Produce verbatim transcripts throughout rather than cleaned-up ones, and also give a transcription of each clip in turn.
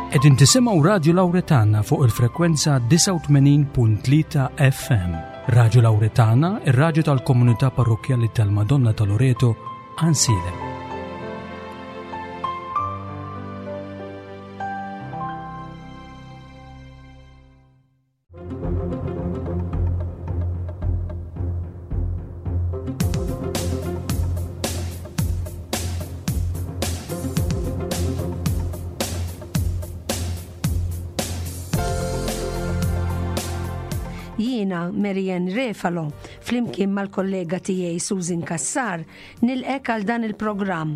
Qegħdin tisimgħu Radju Lawretana fuq il-frekwenza disgħa u tmenin punt tlieta F M. Radju Lawretana, ir-radju tal-Komunità Parrokkjali tal-Madonna ta' Loreto, Għajnsielem. Jiena Marianne Refalo, flimkien mal-kollega tiegħi Susan Kassar, nilqgħek għal dan il-programm.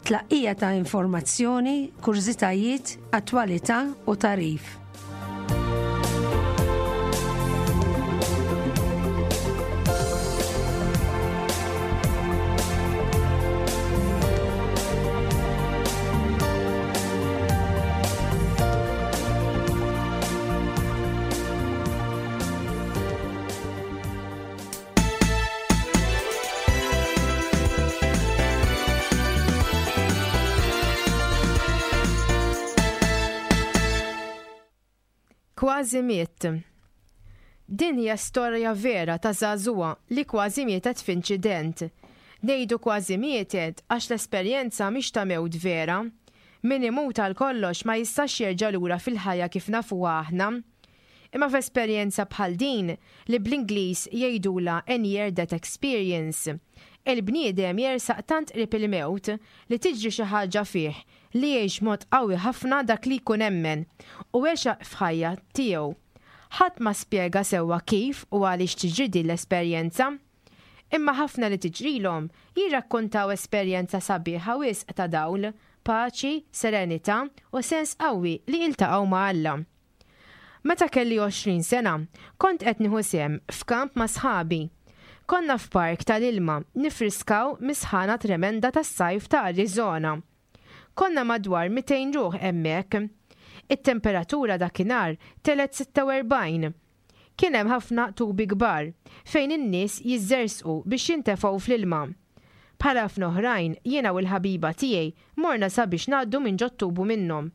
Tlaqqija ta' informazzjoni, kurżitajiet, attwalità u tagħrif. Kważi miet. Din hija storja vera ta' żagħżugħa li kważi mietet f'inċident. Ngħidu kważi mietet għax l-esperjenza mhix ta' mewt vera. Min imut għal kollox ma jistax jerġa' lura fil-ħajja kif nafuha aħna. Imma f'esperjenza bħal din, li bl-Ingliż jgħidula a near death experience, il-bniedem jersaq tant qrib il-mewt li tiġri xi ħaġa fih li jgħix mod qawwi ħafna dak li jkun emmen u għex f'ħajja tiegħu. Ħadd ma spjega sewwa kif u għaliex tiġri din l-esperjenza. Imma ħafna li tiġrilhom jirrakkontaw esperjenza sabiħa wisq ta' dawl, paċi, serenità u sens qawwi li iltaqgħu ma' Alla. Meta kelli għoxrin sena, kont qed nieħu sehem f'kamp ma' sħabi. Konna f'park tal-ilma nifriskaw mis-sħana tremenda tas-sajf ta' Arizona. Konna madwar mitejn ruħ hemmhekk. It-temperatura dakinhar telgħet sitta u erbgħin. Kien hemm ħafna tubi kbar fejn in-nies jiżżersqu biex jintefgħu fl-ilma. Bħala ħafna oħrajn, jiena u l-ħabiba tiegħi morna sabiex ngħaddu minn ġot-tubu minnhom.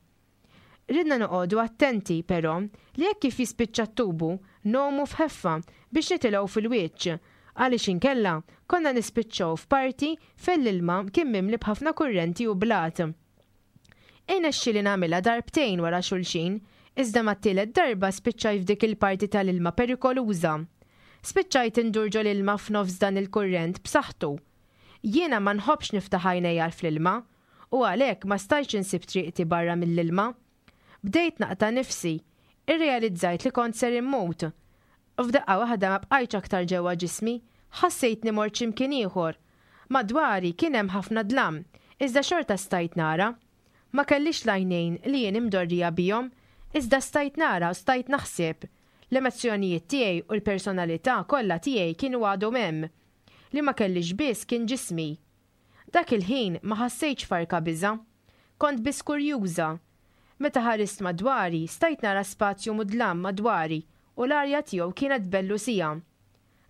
Ridna noqogħdu attenti però li jekk kif jispiċċa t-tubu ngħumu f'ħeffa biex nitilgħu fil-wiċċ, għaliex inkella konna nispiċċaw f'parti fejn l-ilma kien mimli b'ħafna kurrenti u blat. Irnexxieli nagħmilha darbtejn wara xulxin, iżda mat-tielet darba spiċċajt f'dik il-parti tal-ilma perikoluża. Spiċċajt indur ġol-ilma f'nofs dan il-kurrent b'saħħtu. Jiena ma nħobbx niftaħ għajnejja fl-ilma u għalhekk ma stajtx insib triqti barra mill-ilma. Bdejt naqta' nifsi, irrealizzajt li kont ser immut. F'daqqa waħda ma bqajtx aktar ġewwa ġismi, ħassejtni mort x'imkien ieħor. Madwari kien hemm ħafna dlam, iżda xorta stajt nara. Ma kellix l-għajnejn li jien imdorrija bihom, iżda stajt nara u stajt naħseb. L-emozzjonijiet tiegħi u l-personalità kollha tiegħi kienu għadhom hemm. Li ma kellix biss kien ġismi. Dak il-ħin ma ħassejtx farka biża'. Kont biss kurjuża. Meta ħarist madwari, stajt nara spazju mudlam madwari u l-arja tiegħu kienet bellusija.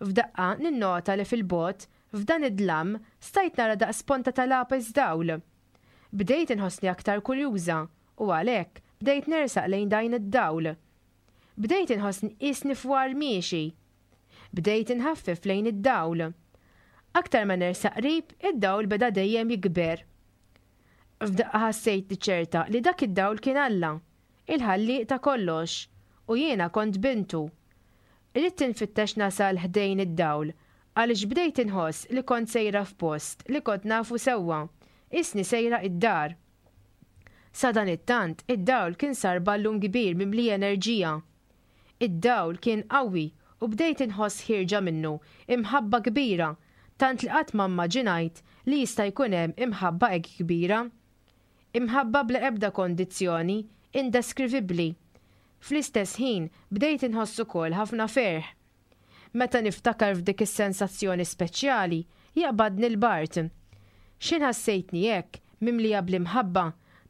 F'daqqa ninnota li fil-bogħod, f'dan id-dlam, stajt nara daqs ponta ta' lapes dawl. Bdejt inħossni aktar kurjuża u għalhekk bdejt nersaq lejn dan id-dawl. Bdejt inħossni qisni fwar miexi. Bdejt inħaffef lejn id-dawl. Aktar ma nersaq qrib, id-dawl beda dejjem jikber. F'daqqa ħassejt li ċerta li dak id-dawl kien Alla, il-ħallieq ta' kollox, u jiena kont bintu. Ridt infittex nasal ħdejn id-dawl, għaliex bdejt inħoss li kont sejra f'post li kont nafu sewwa, qisni sejra id-dar. Sadanittant, id-dawl kien sar ballun kbir mimli enerġija. Id-dawl kien qawwi u bdejt inħoss ħierġa minnu imħabba kbira, tant li qatt ma immaġinajt li jista' jkun hemm imħabba hekk kbira. Imħabba bla ebda kondizzjoni, indeskrivibbli. Fl-istess ħin bdejt inħoss ukoll ħafna ferħ. Meta niftakar f'dik is-sensazzjoni speċjali, jaqbadni l-bard. X'ħin ħassejtni hekk, mimlija bl-imħabba,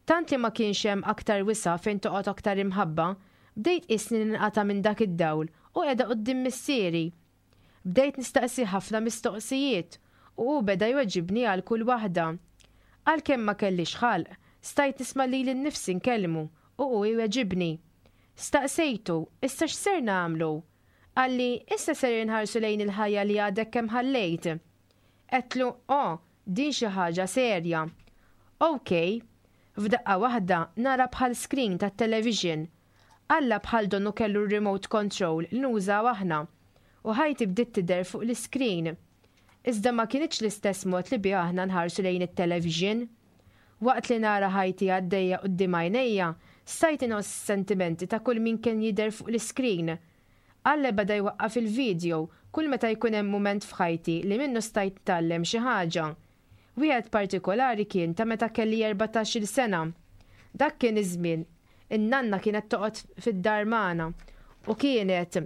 tant li ma kienx hemm aktar wisa' fejn toqgħod aktar imħabba, bdejt qisni ninqata' minn dak id-dawl u qiegħda quddiem missieri. Bdejt nistaqsi ħafna mistoqsijiet u hu beda jweġibni għal kull waħda. Għalkemm ma kellix ħalq, stajt nisma' lili nnifsi nkellmu u hu jweġibni. Staqsejtu, issa x'ser nagħmlu? Qalli, issa ser inħarsu lejn il-ħajja li għadek kemm ħallejt. Għedtlu, oh, din xi ħaġa serja. Ok, f'daqqa waħda nara bħal screen tat-television. Alla bħal donnu kellu remote control li nużaw aħna u ħajti bdiet tidher fuq l-screen. Iżda ma kinitx l-istess mod li bi aħna nħarsu lejn it-television. Waqt li nara ħajti għaddejja quddiem għajnejja, stajt inħoss sentimenti ta' kull min kien jidher fuq l-screen. Alla beda jwaqqaf il-video kull meta jkun hemm mument f'ħajti li minnu stajt nitgħallem xi ħaġa. Wieħed partikolari kien ta' meta kelli erbatax-il sena. Dak kien iż-żmien in-nanna kienet toqgħod fid-dar magħna u kienet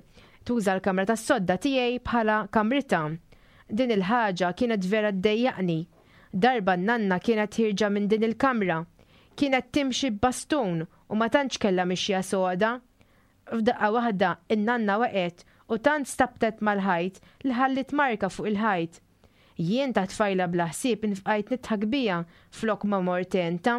tuża l-kamra tas-sodda tiegħi bħala kamritha. Din il-ħaġa kienet vera ddejjaqni. Darba n-nanna kienet ħierġa minn din il-kamra. Kienet timxi b'bastun u ma tantx kellha mixja soda. F'daqqa waħda in-nanna waqgħet u tant stabtet mal-ħajt li ħallit marka fuq il-ħajt. Jien ta' tfajla bla ħsieb infqajt nidħak biha flok ma mort għentha.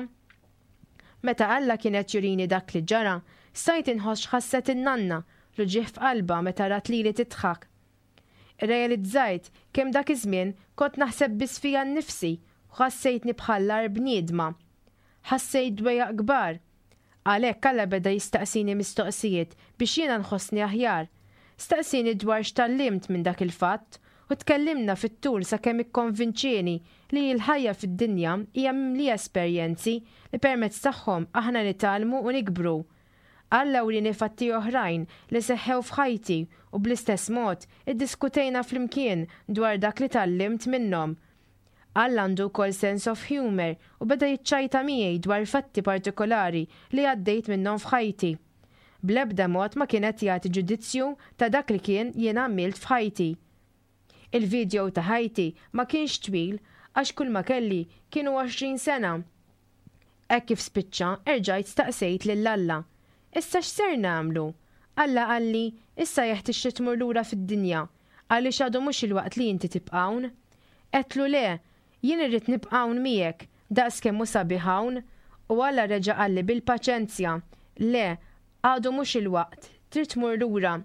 Meta Alla kien qed jurini dak li ġara, stajt inħoss x'ħasset in-nanna, l-uġigħ f'qalbha meta rat lili tidħak. Irrealizzajt kemm dak iż-żmien kont naħseb biss fija nnifsi u ħassejtni bħal bniedma. Ħassejt dwejjaq kbar. Għalhekk Alla beda jistaqsini mistoqsijiet biex jiena nħossni aħjar. Staqsini dwar x'tgħallimt minn dak il-fatt u tkellimna fit-tul sakemm ikkonvinċieni li l-ħajja fid-dinja hija mimlija esperjenzi li permezz tagħhom aħna nitgħallmu u nikbru. Alla wrieni fatti oħrajn li seħħew f'ħajti u bl-istess mod iddiskutejna flimkien dwar dak li tgħallimt minnhom. Alla għandu wkoll sense of humor u beda jiċċajta miegħi dwar fatti partikolari li għaddejt minnhom f'ħajti. Bl-ebda mod ma kienet jagħti ġudizzju ta' dak li kien jien għamilt f'ħajti. Il-video ta' ħajti ma kienx twil għax kull ma kelli kienu għoxrin sena. Hekk kif spiċċa, erġajt staqsejt lil Alla. Issa x'ser nagħmlu? Alla qalli, issa jeħtieġ li tmur lura fid-dinja, għaliex għadu mhux il-waqt li inti tibqa' hawn. Għedtlu le, jien irrid nibqa' hawn miegħek, daqs kemm hu sabiħ hawn, u Alla reġa' qalli bil-paċenzja, le, għadu mhux il-waqt, trid tmur lura.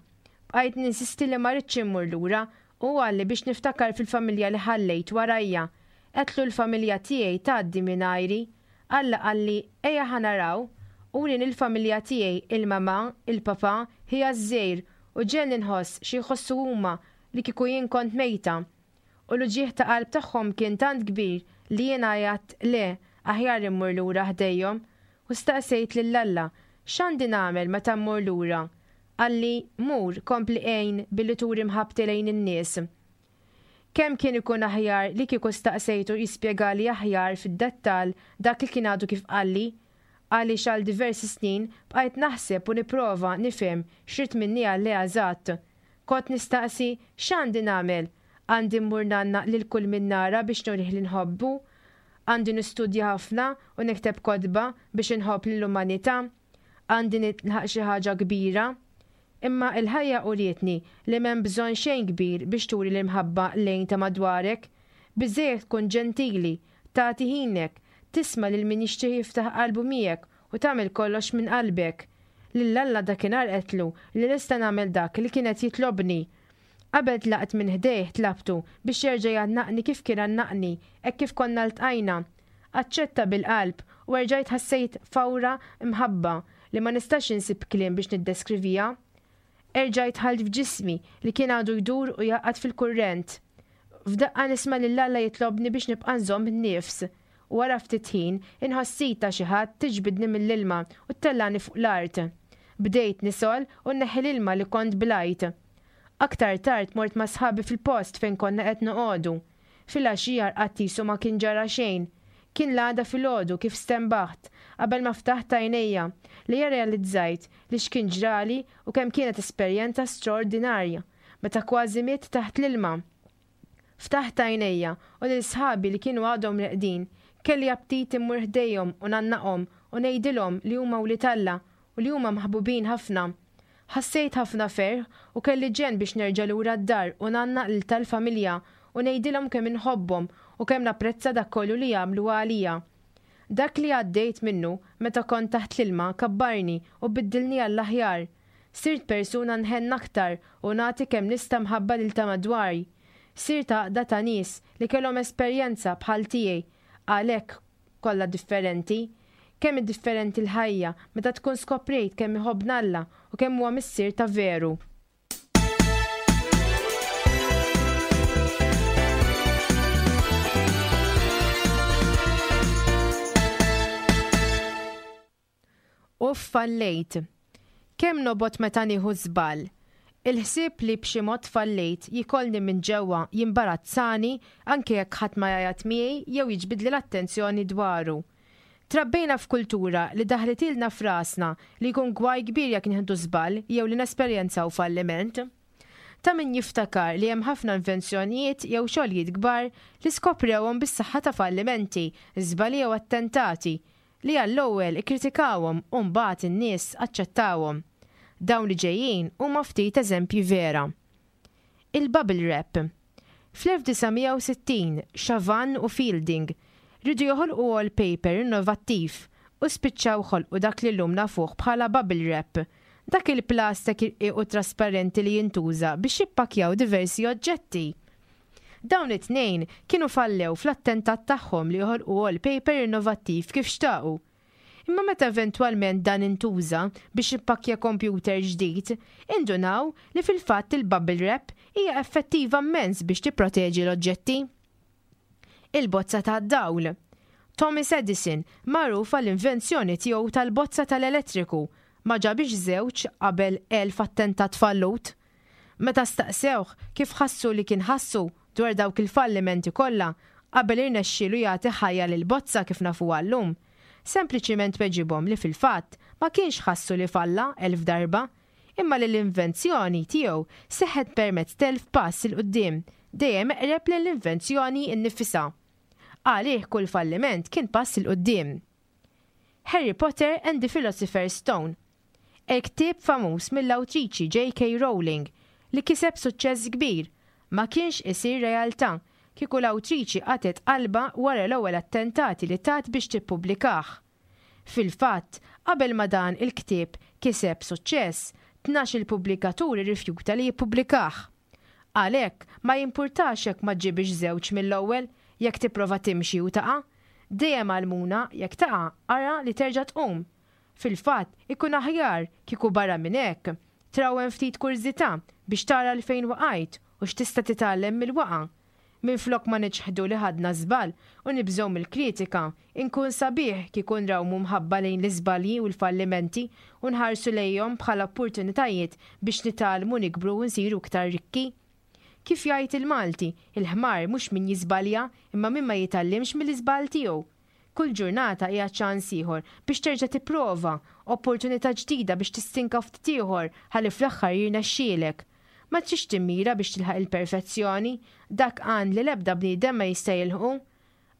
Bqajt ninsisti li ma rridx immur lura, u qalli biex niftakar fil-familja li ħallejt warajja. Għedtlu l-familja tiegħi tgħaddi mingħajri. Alla qalli ejja ħa naraw, u wrieni il-familja tiegħi, il-mama, il-papa, ħija ż-żgħir, u ġegħelni nħoss xi jħossu huma li kieku jien kont mejta. U l-uġigħ ta' qalb tagħhom kien tant kbir li jiena għedt le, aħjar immur lura ħdejhom. U staqsejt lil Alla, x'għandi nagħmel meta mmur lura? Qalli, mur, kompli għin billi turi mħabbti lejn in-nies. Kemm kien ikun aħjar li kieku staqsejtu jispjegali aħjar fid-dettall dak li kien għadu kif qalli, għaliex għal diversi snin bqajt naħseb u nipprova nifhem x'ried minni Alla eżatt. Kont nistaqsi x'għandi nagħmel? Għandi mmur ngħannaq lil kull min nara biex nurih li nħobbu? Għandi nistudja ħafna u nikteb kotba biex inħobb lill-umanità? Għandi nilħaq xi ħaġa kbira? Imma il-ħajja urietni li m'hemm bżonn xejn kbir biex turi l-imħabba lejn ta' madwarek. Biżżejjed tkun ġentili, tagħti ħinek, tisma' lil min jixtieq jiftaħ qalbu miegħek u tagħmel kollox minn qalbek. Lil Alla dakinhar għedtlu li lesta nagħmel dak li kien qed jitlobni. Qabel tlaqt minn ħdejh tlabtu biex jerġa' jgħannaqni kif kien għannaqni hekk kif konna ltqajna. Aċċetta bil-qalb u erġajt ħassejt fawra mħabba li ma nistax insib kliem biex niddeskriviha. Erġajt dħalt f'ġismi li kien għadu jdur u jgħaqqad fil-kurrent. F'daqqa nisma' lil Alla jitlobni biex nibqa' nżomm in-nifs. U wara ftit ħin inħoss id ta' xi ħadd tiġbidni mill-ilma u ttellani fuq l-art. Bdejt nisgħol u nneħħi l-ilma li kont blajt. Aktar tard mort ma' sħabi fil-post fejn konna qed noqogħdu. Filgħaxija rqadt qisu ma kien ġara xejn. Kien l-għada filgħodu kif stenbaħt, qabel ma ftaħt għajnejja, li rrealizzajt li x'kien ġrali u kemm kienet esperjenza straordinarja, meta kważi mitt taħt l-ilma. Ftaħt għajnejja u lil sħabi li kienu għadhom reqdin, kelli aptit immur ħdejhom u ngħannaqhom u ngħidilhom li huma wlied Alla u li huma maħbubin ħafna. Ħassejt ħafna ferħ u kelli ġenn biex nerġa' lura d-dar u ngħannaq lil tal-familja u ngħidilhom kemm inħobbhom u kemm napprezza dak kollu li jagħmlu għalija. Dak li għaddejt minnu meta kont taħt l-ilma kabbarni u biddilni għall-aħjar. Sirt persuna nħenn aktar u nagħti kemm nista' mħabba lil ta' madwari. Sirt għaqda ta' nies li kellhom esperjenza bħal tiegħi, għalhekk kollha differenti. Kemm hi differenti l-ħajja meta tkun skoprejt kemm iħobbna Alla u kemm huwa missier ta' veru. U fallejt. Kemm nobgħod meta nieħu żball. Il-ħsieb li b'xi mod fallejt jikolni minn ġewwa, jimbarazzani anke jekk ħadd ma jgħajjat miegħi jew jiġbidli l-attenzjoni dwaru. Trabbejna f'kultura li daħlitilna f'rasna li jkun gwaj kbir jekk nieħdu żball jew li nesperjenzaw falliment. Ta' min jiftakar li hemm ħafna invenzjonijiet jew xogħlijiet kbar li skoprewhom bis-saħħa ta' fallimenti, żbalji jew attentati, li għall-ewwel ikkritikawhom u mbagħad in-nies aċċettawhom. Dawn li ġejjin huma ftit eżempji vera. Il-bubble wrap. Fl-elf disa' mija u sittin, Chavanne u Fielding riedu joħolqu wallpaper innovattiv u spiċċaw ħolqu dak li llum nafuh bħala bubble wrap, dak il-plastik irqiq u trasparenti li jintuża biex jippakkjaw diversi oġġetti. Dawn it-tnejn kienu fallew fl-attentat tagħhom li joħolqu wallpaper innovattiv kif xtaqu. Imma meta eventwalment dan intuża biex jippakkja kompjuter ġdid, indunaw li fil-fatt il-bubble wrap hija effettiva mmens biex tipproteġi l-oġġetti. Il-bozza tad-dawl. Thomas Edison, magħruf għall-invenzjoni tiegħu tal-bozza tal-elettriku, ma ġabix żewġ qabel elf attentat fallut. Meta staqsewh kif ħassu li kien ħassu dwar dawk il-fallimenti kollha qabel irnexxielu jagħti ħajja lill-bozza kif nafuha llum, sempliċiment weġibhom li fil-fatt ma kienx ħassu li falla elf darba, imma li l-invenzjoni tiegħu seħħet permezz t'elf pass 'il quddiem, dejjem eqreb lejn l-invenzjoni nnifisha. Għalih kull falliment kien pass 'il quddiem. Harry Potter and the Philosopher's Stone. Il-ktieb famuż mill-awtriċi J K Rowling li kiseb suċċess kbir ma kienx isir realtà kieku l-awtriċi qatgħet qalbha wara l-ewwel attentati li tat biex tippubblikah. Fil-fatt, qabel ma dan il-ktieb kiseb suċċess, tnax-il pubblikatur irrifjuta li jippubblikah. Għalhekk, ma jimpurtax jekk ma ġġibx żewġ mill-ewwel, jekk tipprova timxi u taqa'. Dejjem għallmuna jekk taqa' ara li terġa' tqum. Fil-fatt, ikun aħjar kieku barra minn hekk, trawwem ftit kurżità biex tara 'l fejn waqajt u x'tista' titgħallem mill-waqgħa. Minflok ma niċħdu li ħadna żball u nibżgħu mill-kritika, inkun sabiħ kieku nrawmu mħabba lejn l-iżbalji u l-fallimenti u nħarsu lejhom bħala opportunitajiet biex nitgħallmu nikbru u nsiru iktar rikki. Kif jgħid il-Malti, il-ħmar mhux min jiżbalja imma min ma jitgħallimx mill-iżball tiegħu. Kull ġurnata hija ċans ieħor biex terġa' tipprova, opportunità ġdida biex tistinka ftit ieħor ħalli fl-aħħar jirnexxielek. Ma tridx timmira biex tilħaq il-perfezzjoni, dak għan li l-ebda bniedem ma jista' jilħqu.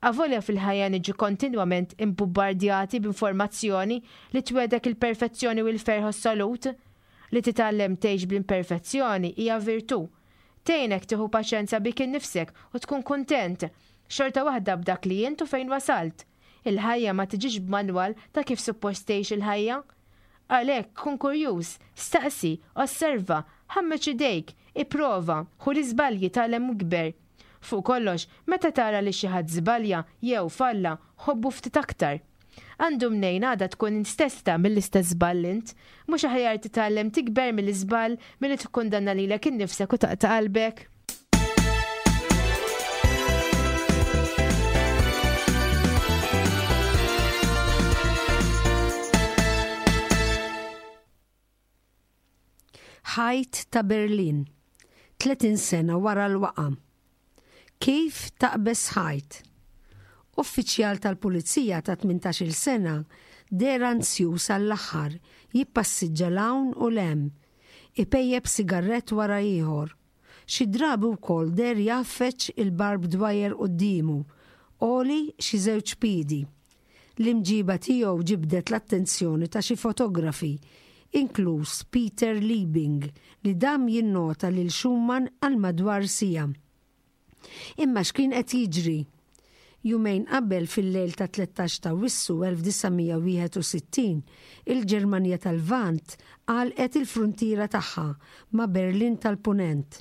Avolja fil-ħajja niġu kontinwament imbubbardjati b'informazzjoni li twedek il-perfezzjoni u l-ferħ assolut, li titgħallem tgħix bl-imperfezzjoni hija virtù. Tgħinek tieħu paċenza bik innifsek u tkun kuntent, xorta waħda b'dak li int u fejn wasalt. Il-ħajja ma tiġix b'manwal ta' kif suppost tgħix il-ħajja. Għalhekk kun kurjuż, staqsi, osserva, ħammeġ idejk, ipprova, ħu l-iżbalji tgħallem u ikber. Fuq kollox, meta tara li xi ħadd żbalja jew falla, ħobbu ftit aktar. Għandu mnejn għada tkun int stess tagħmel l-istess żball int, mhux aħjar titgħallem tikber mill-iżball milli tikkundanna lilek innifsek u taqta' qalbek. Ħajt ta' Berlin, tletin sena wara l-waqa. Kif taqbeż ħajt? Uffiċjal tal-Pulizija ta' tmintax-il sena deher anzjuż għall-aħħar jippassiġġa 'l hawn u 'l hemm, ipejjeb sigarett wara ieħor. Xi drabi wkoll deher jgħaffeġ il-barbed wire quddiemu, għoli xi żewġ piedi. L-imġiba tiegħu ġibdet l-attenzjoni ta' xi fotografi, inkluż Peter Liebing, li dam jinnota lil Schumann għal madwar siegħa. Imma x'kien qed jiġri? Jumejn qabel fil-lejl ta' tlettax ta' Awwissu elf disa' mija wieħed u sittin, il-Ġermanja tal-Lvant għalqet il-fruntiera tagħha ma' Berlin tal-Punent.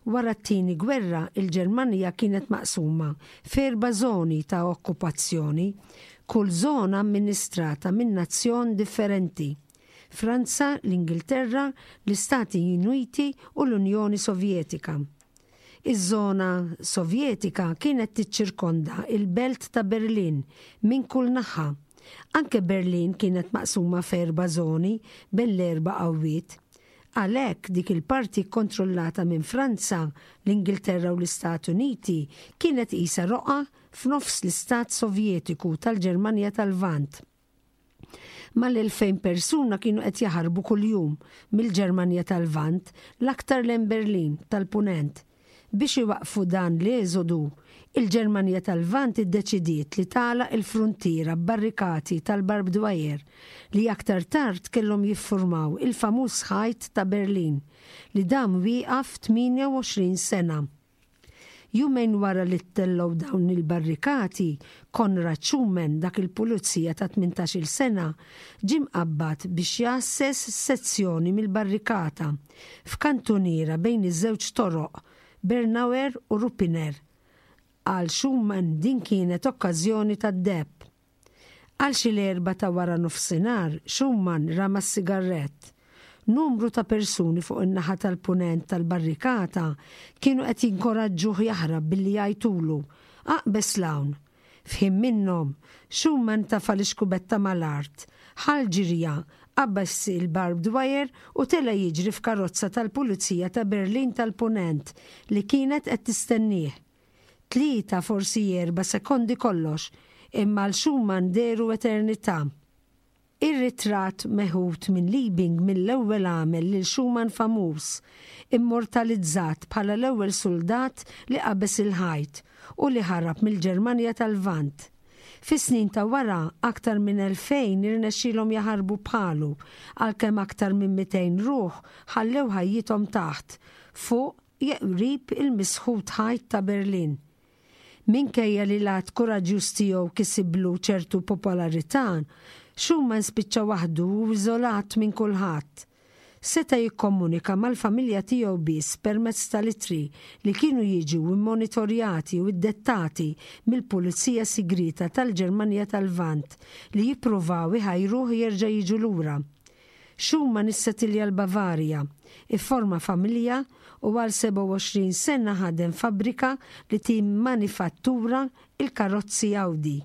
Wara t-Tieni Gwerra, il-Ġermanja kienet maqsuma f'erba' żoni ta' okkupazzjoni, kull żona amministrata minn nazzjon differenti, Franza, l-Ingilterra, l-Istati Uniti u l-Unjoni Sovjetika. Iż-żona Sovjetika kienet tiċċirkonda il-belt ta' Berlin minn kull naħa. Anke Berlin kienet maqsuma f'erba' żoni bejn l-erba' qawwiet. Għalhekk dik il-parti kkontrollata minn Franza, l-Ingilterra u l-Istati Uniti kienet qisha roqgħa f'nofs l-Istat Sovjetiku tal-Ġermanja tal-Lvant. Mal-elfejn persuna kienu qed jaħarbu kuljum mill-Ġermanja tal-Lvant l-aktar lejn Berlin tal-Punent. Biex iwaqfu dan l-eżodu, il-Ġermanja tal-Lvant iddeċidiet li tagħlaq il-fruntiera b'barrikati tal-barbed wire li aktar tard kellhom jiffurmaw il-famuż ħajt ta' Berlin li dam wieqaf tmienja u għoxrin sena. Jumejn wara li ttellgħu dawn il-barrikati, Konrad Schumann, dak il-pulizija ta' tmintax-il sena, ġie mqabbad biex jgħasses sezzjoni mill-barrikata f'kantuniera bejn iż-żewġ toroq Bernauer u Ruppiner. Għal Schumann din kienet okkażjoni tad-deheb. Għal xi l-erba' ta' wara nofsinhar, Schumann rama s-sigarett. Numru ta' persuni fuq in-naħa tal-punent tal-barrikata kienu qed jinkoraġġuh jaħrab billi jgħajtulu, Aqbeż l-hawn. F'ħin minnhom, Schumann tafa' l-ixkubetta mal-art, ħal ġirja, qabeż il-barbed wire u tela' jiġri f'karozza tal-Pulizija ta' Berlin tal-Punent li kienet qed tistennieh. Tlieta forsi erba' sekondi kollox, imma għal Schumann dehru eternità. Ir-ritratt meħud minn Liebing mill-ewwel għamel lil Schumann famuż, immortalizzat bħala l-ewwel soldat li qabeż il-ħajt u li ħarab mill-Ġermanja tal-Lvant. Fis-snin ta' wara, aktar minn elfejn irnexxielhom jaħarbu bħalu, għalkemm aktar minn mitejn ruħ ħallew ħajjithom taħt, fuq jew qrib il-misħut ħajt ta' Berlin. Minkejja li l-att kuraġġjuż tiegħu kisiblu ċertu popolarità, Schumann spiċċa waħdu u iżolat minn kulħadd. Seta' jikkomunika mal-familja tiegħu biss permezz tal-ittri li kienu jiġu immonitorjati u iddettati mill-Pulizija Sigrieta tal-Ġermanja tal-Lvant li jippruvaw iħajruh jerġa' jiġu lura. Schumann issetilja l-Bavarja, ifforma familja u għal sebgħa u għoxrin sena ħadem fabbrika li timmanifattura il-karozzi Audi.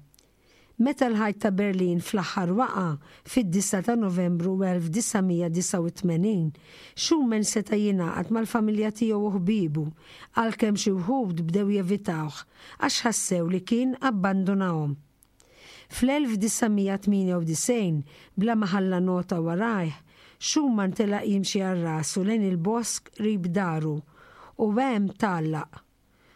Meta l-ħajt ta' Berlin fl-aħħar waqa' fid-disgħa ta' Novembru elf disa' mija disgħa u tmenin, Schumann seta' jingħaqad mal-familja tiegħu u ħbiebu, għalkemm xi wħud bdew jevitawh għax ħassew li kien abbandunahom. Fl-elf disa' mija tmienja u disgħin, bla ma ħalla nota warajh, Schumann telaq jimxi għal rasu lejn il-bosk qrib daru u hemm tgħallaq.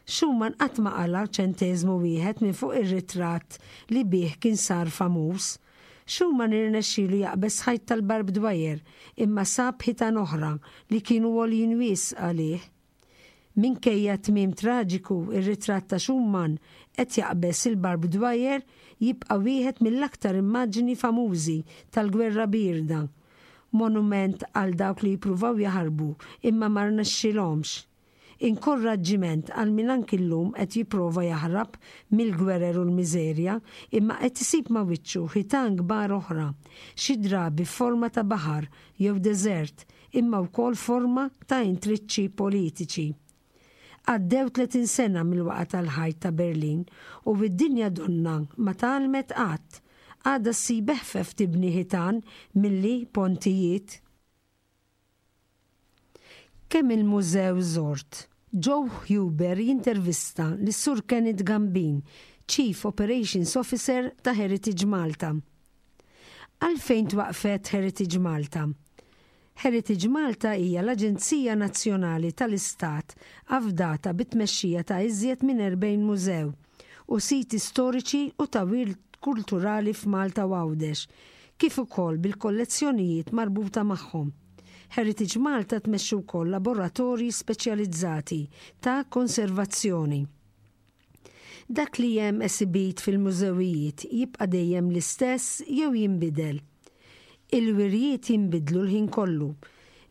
Schumann qatt ma qala ċenteżmu wieħed minn fuq ir-ritratt li bih kien sar famuż. Schumann irnexxielu jaqbeż ħajt tal-barbed wire imma sab ħitan oħra li kienu għoljin wisq għalih. Minkejja tmiem traġiku, ir-ritratt ta' Schumann qed jaqbeż il-barbed wire jibqa' wieħed mill-aktar immaġni famużi tal-Gwerra Bierda. Monument għal dawk li jippruvaw jaħarbu imma ma rnexxilhomx. Inkoraġġiment għal min anki llum qed jipprova jaħrab mill-gwerer u l-miżerja imma qed isib ma' wiċċu ħitan kbar oħra, xi drabi f'forma ta' baħar jew deżert imma wkoll forma ta' intriċċi politiċi. Għaddew tletin sena mill-waqa tal-ħajt ta' Berlin u id-dinja donna ma tgħallmet qatt, għadha ssib eħfef tibni ħitan milli pontijiet. Kemm il-mużew żort? Joe Huber jintervista lis-Sur Kenneth Gambin, Chief Operations Officer ta' Heritage Malta. Għalfejn twaqfet Heritage Malta? Heritage Malta hija l-Aġenzija Nazzjonali tal-Istat afdata bit-tmexxija ta' iżjed minn erbgħin mużew u siti storiċi u ta' wirt kulturali f'Malta u Għawdex, kif ukoll bil-kollezzjonijiet marbuta magħhom. Heritage Malta tmexxi wkoll laboratorji speċjalizzati ta' konservazzjoni. Dak li hemm esibit fil-mużewijiet jibqa' dejjem l-istess jew jinbidel? Il-wirjiet jinbidlu l-ħin kollu.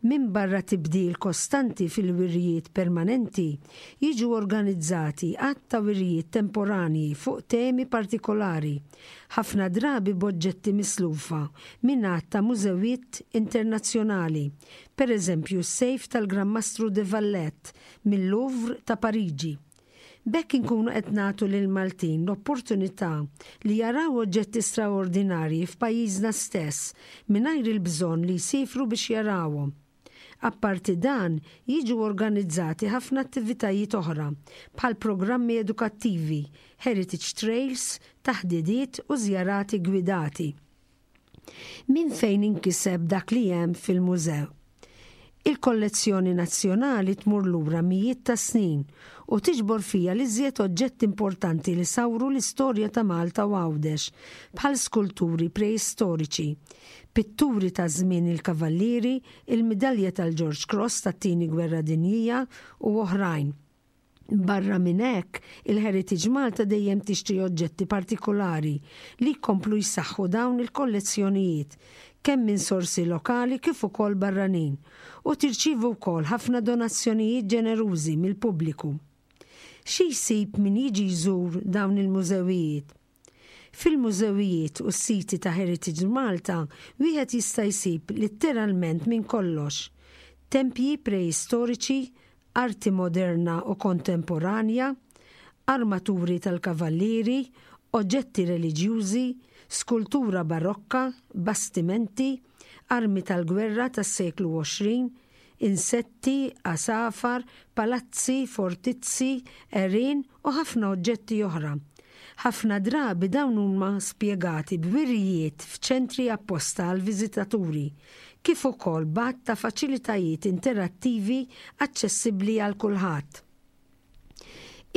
Minbarra tibdil kostanti fil-wirjiet permanenti, jiġu organizzati għadd ta' wirjiet temporanji fuq temi partikolari, ħafna drabi b'oġġetti mislufa minn għadd ta' mużewijiet internazzjonali, pereżempju s-sejf tal-Gran Mastru de Valette mil-Louvre ta' Pariġi. B'hekk inkunu qed nagħtu lill-Maltin l-opportunità li jaraw oġġetti straordinarji f'pajjiżna stess mingħajr il-bżonn li jsifru biex jarawhom. Apparti dan, jiġu organizzati ħafna attivitajiet oħra bħal programmi edukattivi, heritage trails, taħdidiet u żjarati gwidati. Minn fejn inkiseb dak li hemm fil-mużew? Il-kollezzjoni nazzjonali tmur lura mijiet ta' snin u tiġbor fiha l-iżjed oġġetti importanti li sawru l-istorja ta' Malta u Għawdex, bħal skulturi preistoriċi, pitturi ta' żmien il-Kavallieri, il-midalja tal-George Cross tat-Tieni Gwerra Dinjija u oħrajn. Barra minn hekk, il-Heritage Malta dejjem tixtri oġġetti partikolari li jkomplu jsaħħu dawn il-kollezzjonijiet, kemm minn sorsi lokali kif ukoll barranin, u tirċievi wkoll ħafna donazzjonijiet ġenerużi mill-pubbliku. Xi jsib min jiġi jżur dawn il-mużewijiet? Fil-mużewijiet u s-siti ta' Heritage Malta wieħed jista' jsib litteralment minn kollox. Tempji preistoriċi, arti moderna u kontemporanja, armaturi tal-kavallieri, oġġetti reliġjużi, skultura barokka, bastimenti, armi tal-gwerra tas-seklu għoxrin, insetti, għasafar, palazzi, fortizzi, għerien u ħafna oġġetti oħra. Ħafna drabi dawn huma spjegati b'wirjiet f'ċentri apposta għal viżitaturi, kif ukoll b'għadd ta' faċilitajiet interattivi aċċessibbli għal kulħadd.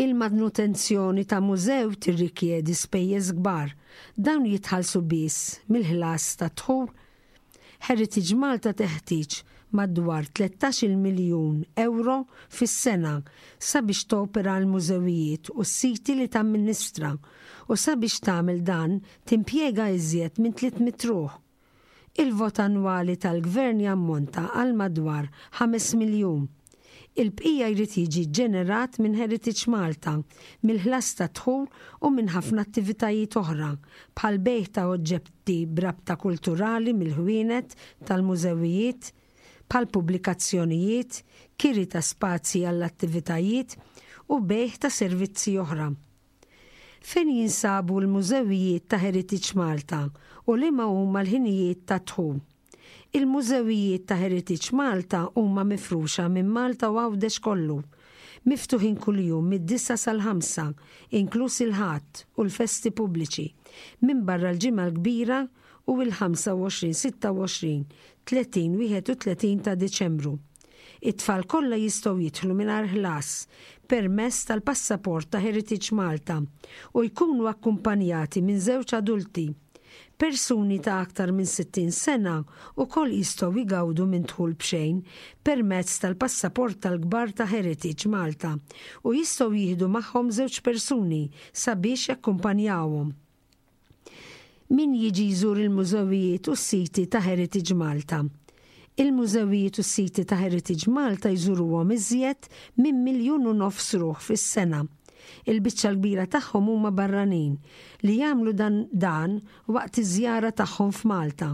Il-manutenzjoni ta' mużew tirrikjedi spejjeż kbar, dawn jitħallsu biss mill-ħlas ta' dħul. Heritage Malta teħtieġ madwar tlettax-il miljun euro fis-sena sabiex topera l-mużewijiet u s-siti li tamministra u sabiex tagħmel dan timpjega iżjed minn tliet mitt ruħ. Il-vot annwali tal-gvern jammonta għal madwar ħames miljun. Il-bqija jrid jiġi ġenerat minn Heritage Malta, mill-ħlas ta' dħul u minn ħafna attivitajiet oħra, bħal bejgħ ta' oġġetti b'rabta kulturali mill-ħwienet tal-mużewijiet, bħal pubblikazzjonijiet, kiri ta' spazji għall-attivitajiet u bejgħ ta' servizzi oħra. Fejn jinsabu l-mużewijiet ta' Heritage Malta u liema huma l-ħinijiet ta' dħul? Il-mużewijiet ta' Heritage Malta huma mifruxa minn Malta u Għawdex kollu, miftuħin kuljum mid-disa sal-ħamsa, inkluż il-Ħadd u l-festi pubbliċi, minn barra l-Ġimgħa l-Kbira u l-ħamsa u għoxrin, sitta u għoxrin, tletin, wieħed u tletin ta' Diċembru. It-tfal kollha jistgħu jidħlu mingħajr ħlas permezz tal-passaport ta' Heritage Malta u jkunu akkumpanjati minn żewġ adulti. Persuni ta' aktar minn sittin sena wkoll jistgħu jgawdu minn dħul b'xejn permezz tal-passaport tal-kbar ta' Heritage Malta u jistgħu jieħdu magħhom żewġ persuni sabiex jakkumpanjawhom. Min jiġi jżur il-mużewijiet u s-siti ta' Heritage Malta? Il-mużewijiet u s-siti ta' Heritage Malta jżuruhom iżjed minn miljun u nofs ruħ fis-sena. Il-biċċa l-kbira tagħhom huma barranin li jagħmlu dan, dan waqt iż-żjara tagħhom f'Malta.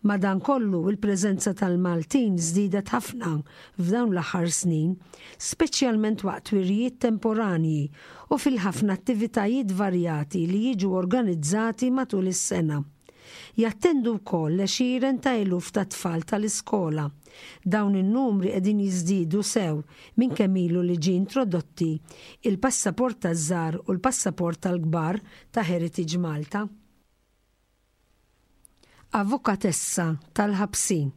Madankollu, il-preżenza tal-Maltin żdiedet ħafna f'dawn l-aħħar snin, speċjalment waqt wirjiet temporanji u fil-ħafna attivitajiet varjati li jiġu organizzati matul is-sena. Jattendu wkoll għexieren ta' eluf ta' tfal tal-iskola. Dawn in-numri qegħdin jiżdiedu sew minn kemm ilu li ġie introdotti il-passaport taż-żgħar u l-passaport tal-kbar ta' Heritage Malta. Avukatessa tal-ħabsin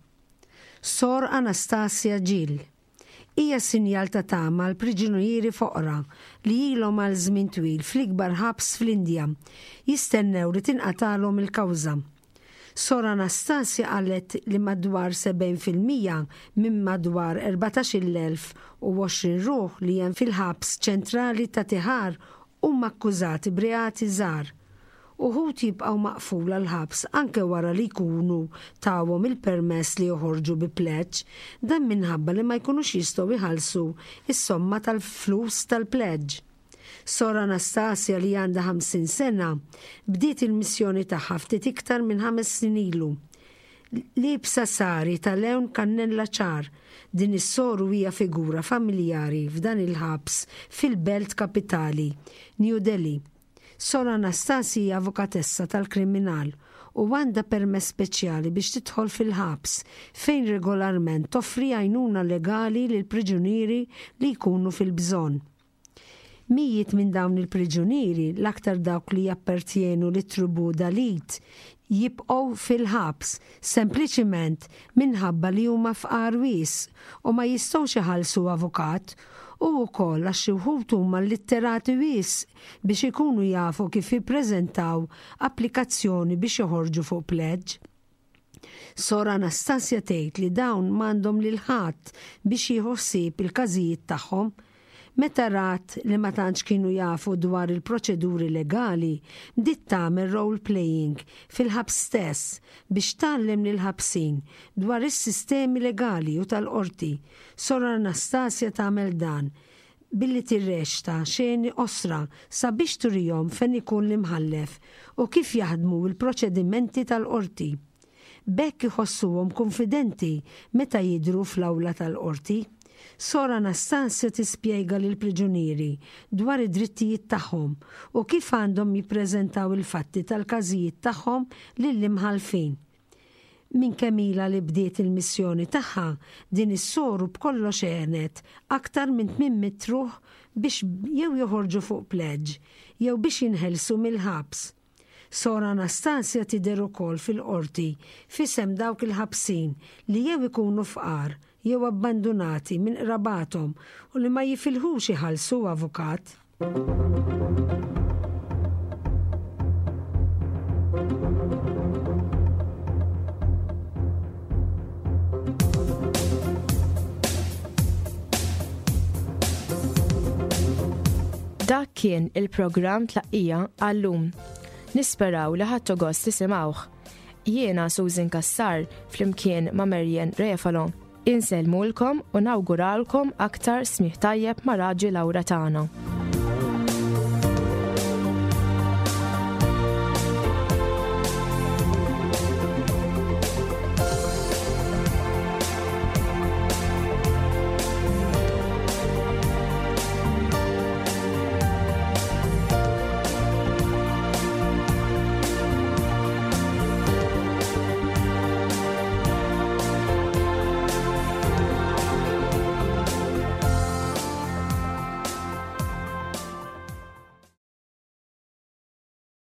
Sor Anastasia Gill hija sinjal ta' tama għal priġunieri foqra li ilhom għal żmien twil fl-ikbar ħabs fl-Indja jistennew li tinqatalhom il-kawża. Sor Anastasia qalet li madwar sebgħin fil-mija minn madwar erbatax-il elf u għoxrin ruħ li hemm fil-ħabs ċentrali ta' Tihar Huma akkużati b'reati żgħar. Uħud jibqgħu maqfula l-ħabs anke wara li jkunu tawhom il-permess li joħorġu bi pledge, dan minħabba li ma jkunux jistgħu jħallsu is-somma tal-flus tal-pledge. Sor Anastasia, li għandha ħamsin sena, bdiet il-missjoni tagħha ftit iktar minn ħames snin ilu. Liebsa sari ta' lewn kannella ċar, din is-soru hija figura familjari f'dan il-ħabs fil-belt kapitali, New Delhi. Sor Anastasia hija avukatessa tal-kriminal u għandha permess speċjali biex tidħol fil-ħabs, fejn regolarment toffri għajnuna legali lil priġunieri li jkunu fil-bżonn. Mijiet minn dawn il-priġunieri, l-aktar dawk li jappartjenu lit-tribu Dalit, jibqgħu fil-ħabs sempliċiment minħabba li huma fqar wisq u ma jistgħux iħallsu avukat, u wkoll għax xi wħud huma illitterati wisq biex ikunu jafu kif jippreżentaw applikazzjoni biex joħorġu fuq pledge. Sor Anastasia tgħid li dawn m'għandhom lil ħadd biex jieħu ħsieb il-każijiet tagħhom. Meta rat li ma tantx kienu jafu dwar il-proċeduri legali, bdiet tagħmel role playing fil-ħabs stess biex tgħallem lil ħabsin dwar is-sistemi legali u tal-qorti. Sor Anastasia tagħmel dan billi tirreċta xeni qosra sabiex turihom fejn ikun l-imħallef u kif jaħdmu il-proċedimenti tal-qorti. B'hekk iħossuhom konfidenti meta jidru fl-awla tal-qorti. Sor Anastasia tispjega lil priġunieri dwar id-drittijiet tagħhom u kif għandhom jippreżentaw il-fatti tal-każijiet tagħhom lill-imħallfin. Minn kemm ilha li bdiet il-missjoni tagħha, din is-soru b'kollox għenet aktar minn tmien mitt ruħ biex jew joħorġu fuq pledge jew biex jinħelsu mill-ħabs. Sor Anastasia tidher ukoll fil-qorti f'isem dawk il-ħabsin li jew ikunu fqar jew abbandunati minn qrabathom u li ma jifilħux iħallsu avukat. Dak kien il-programm Tlaqqija għal-lum. Nisperaw li ħadtu gost tisimgħuh. Jiena Susan Kassar flimkien ma' Marian Refalo. Insellmulkom u nawguralkom aktar smigħ tajjeb ma' Raġi Lawra tagħna.